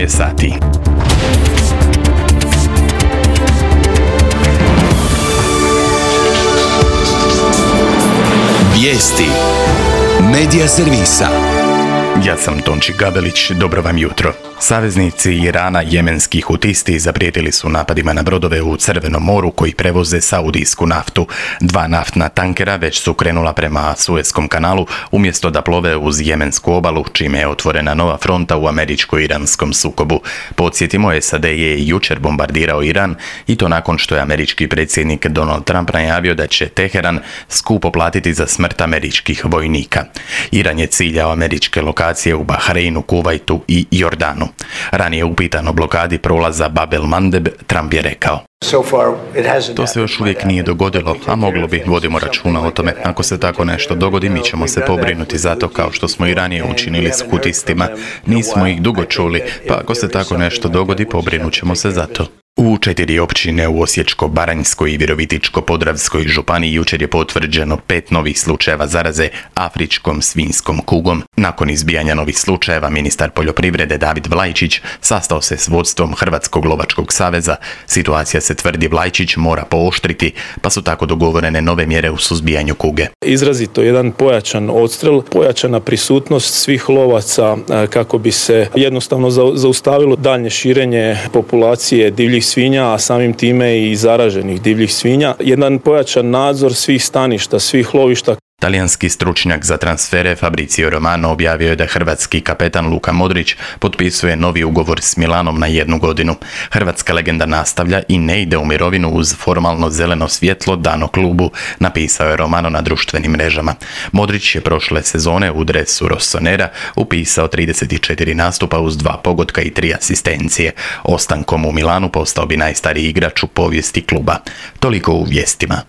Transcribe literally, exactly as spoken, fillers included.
osam je sati. Vijesti Medija servisa. Ja sam Tonči Gabelić, dobro vam jutro. Saveznici Irana jemenski hutisti zaprijetili su napadima na brodove u Crvenom moru koji prevoze saudijsku naftu. Dva naftna tankera već su krenula prema Suezkom kanalu umjesto da plove uz jemensku obalu, čime je otvorena nova fronta u američko-iranskom sukobu. Podsjetimo, S A D je jučer bombardirao Iran i to nakon što je američki predsjednik Donald Trump najavio da će Teheran skupo platiti za smrt američkih vojnika. Iran je ciljao američke lokacije u Bahreinu, Kuvajtu i Jordanu. Ranije upitan o blokadi prolaza Bab el Mandeb, Trump je rekao: to se još uvijek nije dogodilo, a moglo bi, vodimo računa o tome. Ako se tako nešto dogodi, mi ćemo se pobrinuti za to kao što smo i ranije učinili s hutistima. Nismo ih dugo čuli, pa ako se tako nešto dogodi, pobrinut ćemo se za to. U četiri općine u Osječko-baranjskoj i Virovitičko-podravskoj županiji jučer je potvrđeno pet novih slučajeva zaraze afričkom svinjskom kugom. Nakon izbijanja novih slučajeva, ministar poljoprivrede David Vlajčić sastao se s vodstvom Hrvatskog lovačkog saveza. Situacija se, tvrdi Vlajčić, mora pooštriti, pa su tako dogovorene nove mjere u suzbijanju kuge. Izrazito jedan pojačan odstrel, pojačana prisutnost svih lovaca kako bi se jednostavno zaustavilo daljnje širenje populacije divljih svinja, a samim time i zaraženih divljih svinja. Jedan pojačan nadzor svih staništa, svih lovišta. Talijanski stručnjak za transfere Fabrizio Romano objavio je da hrvatski kapetan Luka Modrić potpisuje novi ugovor s Milanom na jednu godinu. Hrvatska legenda nastavlja i ne ide u mirovinu uz formalno zeleno svjetlo dano klubu, napisao je Romano na društvenim mrežama. Modrić je prošle sezone u dresu Rossonera upisao trideset četiri nastupa uz dva pogotka i tri asistencije. Ostankom u Milanu postao bi najstariji igrač u povijesti kluba. Toliko u vijestima.